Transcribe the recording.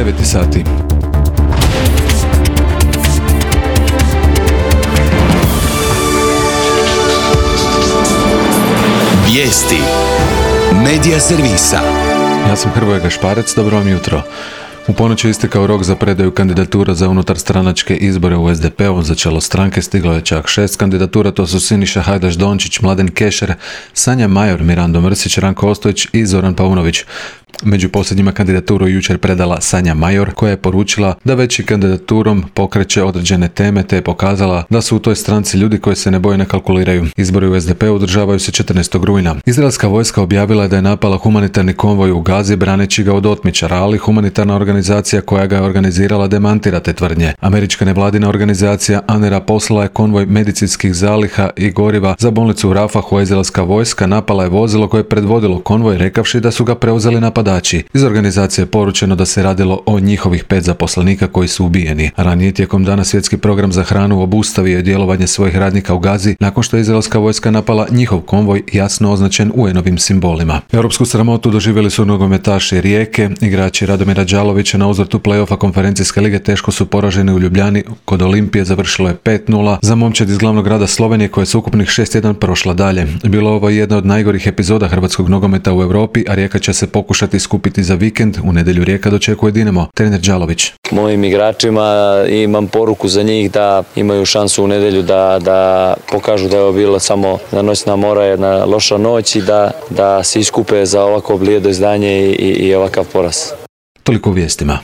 9 sati. Vijesti Medija servisa. Ja sam Hrvoje Gašparec, dobro vam jutro. U ponoć je istekao rok za predaju kandidatura za unutarstranačke izbore u SDP-u. Za čelo stranke stiglo je čak 6 kandidatura, to su Siniša Hajdaš Dončić, Mladen Kešer, Sanja Major, Mirando Mrsić, Ranko Ostojić i Zoran Paunović. Među posljednjima kandidaturu jučer predala Sanja Major, koja je poručila da već i kandidaturom pokreće određene teme, te je pokazala da su u toj stranci ljudi koji se ne boje, ne kalkuliraju. Izbori u SDP-u održavaju se 14. rujna. Izraelska vojska objavila je da je napala humanitarni konvoj u Gazi braneći ga od otmičara, ali humanitarna organizacija koja ga je organizirala demantira te tvrdnje. Američka nevladina organizacija ANERA poslala je konvoj medicinskih zaliha i goriva za bolnicu u Rafahu, a izraelska vojska napala je vozilo koje je predvodilo konvoj rekavši da su ga preuzeli napadači. Iz organizacije je poručeno da se radilo o njihovih 5 zaposlenika koji su ubijeni. Ranije tijekom dana Svjetski program za hranu obustavio je djelovanje svojih radnika u Gazi nakon što je izraelska vojska napala njihov konvoj jasno označen UN-ovim simbolima. Europsku sramotu doživjeli su nogometaši Rijeke. Igrači Radomira Đalovića na uzvratu play-offa konferencijske lige teško su poraženi u Ljubljani. Kod Olimpije završilo je 5:0 za momčad iz glavnog grada Slovenije koja je s ukupnih 6:1 prošla dalje. Bilo ovo jedna od najgorih epizoda hrvatskog nogometa u Europi, a Rijeka će se pokušati skupiti za vikend. U nedjelju Rijeka dočekuje Dinamo. Trener Đalović. Mojim igračima imam poruku za njih da imaju šansu u nedjelju da pokažu da je ovo bilo samo na noćna mora, jedna loša noć i da se iskupe za ovako blijedo izdanje i ovakav poraz. Toliko u vijestima.